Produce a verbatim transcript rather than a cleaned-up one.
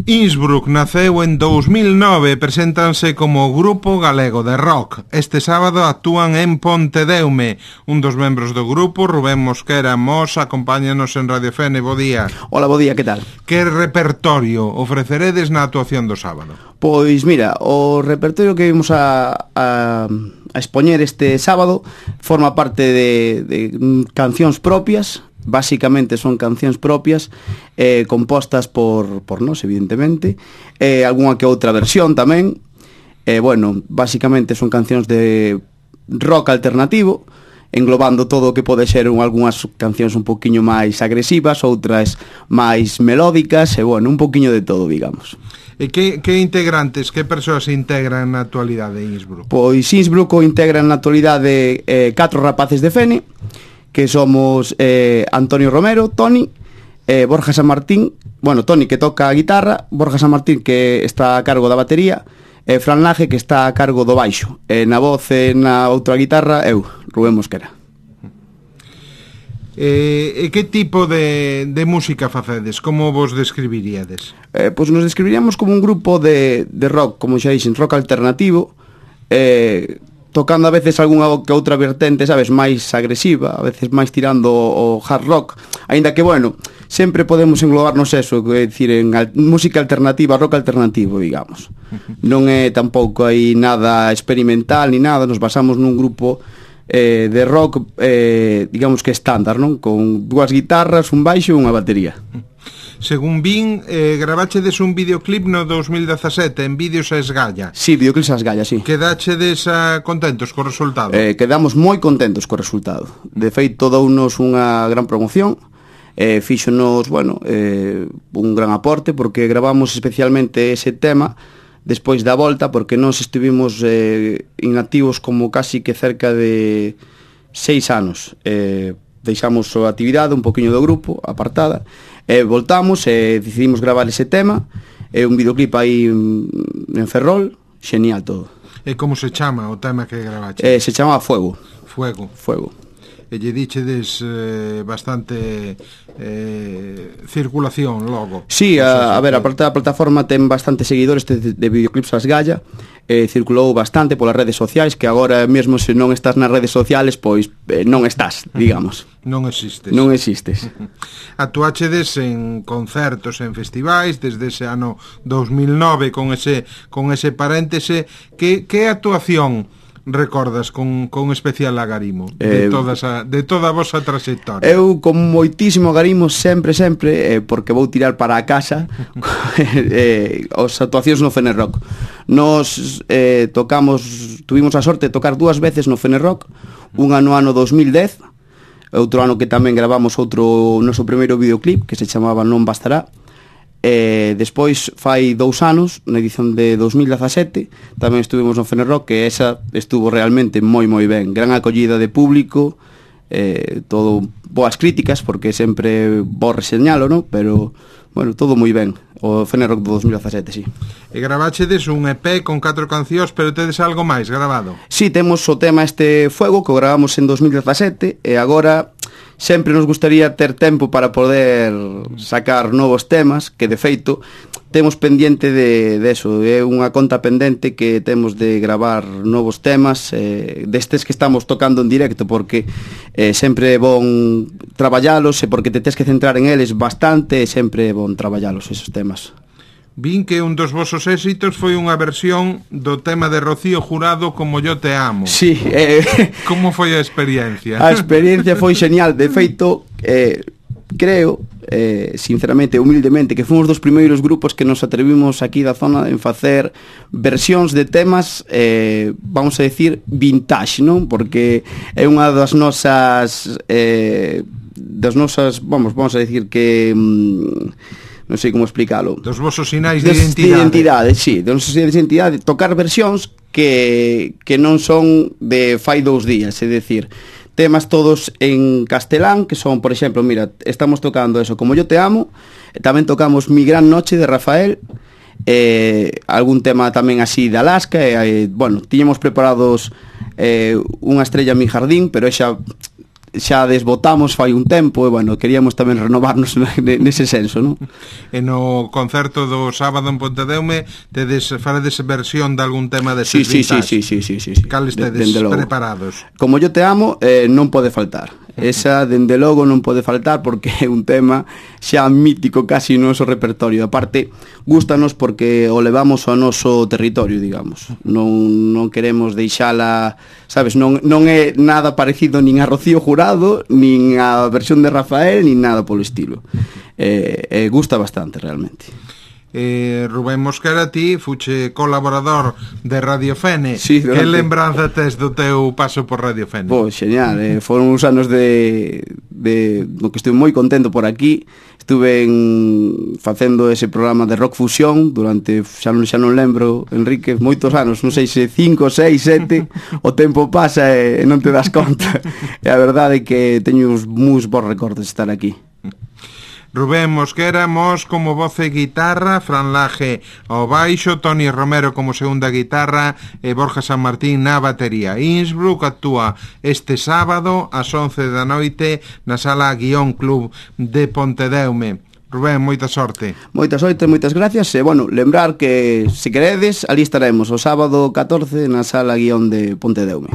Innsbruck naceu en dous mil nove e preséntanse como grupo galego de rock. Este sábado actúan en Pontedeume. Un dos membros do grupo, Rubén Mosquera Mos, acompáñanos en Radio Fene. Bo día. Hola, bo día, que tal? Que repertorio ofreceredes na actuación do sábado? Pois mira, o repertorio que vimos a, a, a expoñer este sábado forma parte de, de cancións propias. Básicamente son cancións propias, eh, compostas por, por nós, evidentemente, eh, algunha que outra versión tamén. Eh, bueno, básicamente son cancións de rock alternativo, englobando todo o que pode ser un, algunhas cancións un poquinho máis agresivas, outras máis melódicas, e bueno, un poquinho de todo, digamos. E que, que integrantes, que persoas se integran na actualidade en Innsbruck? Pois Innsbruck o integran na actualidade eh, catro rapaces de Fene, que somos eh, Antonio Romero, Toni, eh, Borja San Martín, bueno, Toni que toca a guitarra, Borja San Martín que está a cargo da batería, e Fran Laje que está a cargo do baixo, e na voz e na outra guitarra eu, Rubén Mosquera. E, e que tipo de, de música facedes? Como vos describiríades? Eh, pois nos describiríamos como un grupo de, de rock, como xa dixen, rock alternativo, eh, tocando a veces algunha que outra vertente, sabes, máis agresiva, a veces máis tirando o hard rock, aínda que, bueno, sempre podemos englobarnos eso, é dicir, en al, música alternativa, rock alternativo, digamos. Non é tampouco aí nada experimental ni nada, nos basamos nun grupo eh, de rock, eh, digamos que estándar, non? Con dúas guitarras, un baixo e unha batería. Según vin, eh, gravachedes un videoclip no dos mil dezasete en Vídeos a Esgalla. Sí, videoclips a Esgalla, sí. Quedachedes uh, contentos co resultado? Eh, quedamos moi contentos co resultado. De feito, dounos unha gran promoción, eh, fíxonos, bueno, eh, un gran aporte, porque gravamos especialmente ese tema despois da volta, porque nós estivimos eh, inactivos como casi que cerca de seis anos. Eh, deixamos a actividade, un poquinho do grupo, apartada, e voltamos e decidimos gravar ese tema, e un videoclip aí en Ferrol, genial todo. E como se chama o tema que gravache? Eh, se chama Fuego. Fuego. Fuego. E lle dichedes eh, bastante eh, circulación logo. Sí, a, a ver, a, a plataforma ten bastantes seguidores de, de videoclips a Esgalla, eh, circulou bastante polas redes sociais, que agora mesmo se non estás nas redes sociales, pois eh, non estás, digamos. Non existes. Non existes. Actuachedes en concertos, en festivais, desde ese ano dos mil nove, con ese, con ese paréntese. Que, que actuación recordas con, con especial agarimo de, eh, todas a, de toda a vosa trayectoria? Eu con moitísimo agarimo sempre, sempre, eh, porque vou tirar para a casa eh, as actuacións no Fene Rock. Nos eh, tocamos, tuvimos a sorte de tocar dúas veces no Fene Rock, unha no ano dos mil dez, outro ano que tamén gravamos outro noso primeiro videoclip que se chamaba Non Bastará. E despois fai dous anos, na edición de dos mil dezasete, tamén estuvimos no Fene Rock, que esa estuvo realmente moi moi ben, gran acollida de público, eh, todo boas críticas, porque sempre vou reseñalo, no? Pero bueno, todo moi ben. O Fene Rock do dos mil dezasete, sí. E gravachedes un E P con catro cancións, pero tedes algo máis grabado? Sí, temos o tema este Fuego, que o gravamos en dos mil dezasete, e agora sempre nos gustaría ter tempo para poder sacar novos temas, que de feito temos pendiente de, de eso, é unha conta pendente que temos de gravar novos temas, eh, destes que estamos tocando en directo, porque eh, sempre é bon traballalos, e porque te tes que centrar en eles bastante, e sempre é bon traballalos esos temas. Vin que un dos vosos éxitos foi unha versión do tema de Rocío Jurado, Como yo te amo. Sí. Eh, Como foi a experiencia? A experiencia foi genial. De feito, eh, creo, eh, sinceramente, humildemente, que fomos dos primeiros grupos que nos atrevimos aquí da zona en facer versións de temas, eh, vamos a decir, vintage, non? Porque é unha das nosas... Eh, das nosas, vamos, vamos a decir que... Mm, non sei como explicarlo. Dos vosos sinais de identidade. De identidade, sí, dos nosos sinais de identidade, tocar versións que, que non son de fai dous días, é dicir, temas todos en castelán, que son, por exemplo, mira, estamos tocando eso, Como yo te amo, tamén tocamos Mi gran noche de Rafael, eh, algún tema tamén así de Alaska, e, eh, bueno, tiñamos preparados eh, Unha estrella en mi jardín, pero xa xa desbotamos fai un tempo e, bueno, queríamos tamén renovarnos nese senso, non? E no concerto do sábado en Pontedeume tedes, faredes versión de algún tema de sí, sí, vintage? Sí, sí, sí, sí, sí. Cal estedes preparados? Como yo te amo, eh, non pode faltar. Esa, dende logo, non pode faltar porque é un tema xa mítico casi no noso repertorio. Aparte, gústanos porque o levamos ao noso territorio, digamos. Non, non queremos deixala, sabes, non, non é nada parecido nin a Rocío Jurado, nin a versión de Rafael, nin nada polo estilo. Eh, eh, gusta bastante, realmente. Eh, Rubén Mosquera, ti fuche colaborador de Radio Fene. Sí, que lembranza tes do teu paso por Radio Fene? Pois, xeñal, eh, foron uns anos de, de no que estuve moi contento por aquí. Estuve en, facendo ese programa de rock fusión durante, xa non, xa non lembro, Enrique, moitos anos, non sei se cinco, seis, sete. O tempo pasa e non te das conta. E a verdade é que teño uns moi bons recordos de estar aquí. Rubén Mosquera, Mos como voz e guitarra, Fran Laje ao baixo, Toni Romero como segunda guitarra e Borja San Martín na batería. Innsbruck actúa este sábado ás once da noite na sala Guión Club de Pontedeume. Rubén, moita sorte. Moita sorte, moitas gracias. E, bueno, lembrar que, se queredes, ali estaremos o sábado catorce na sala Guión de Pontedeume.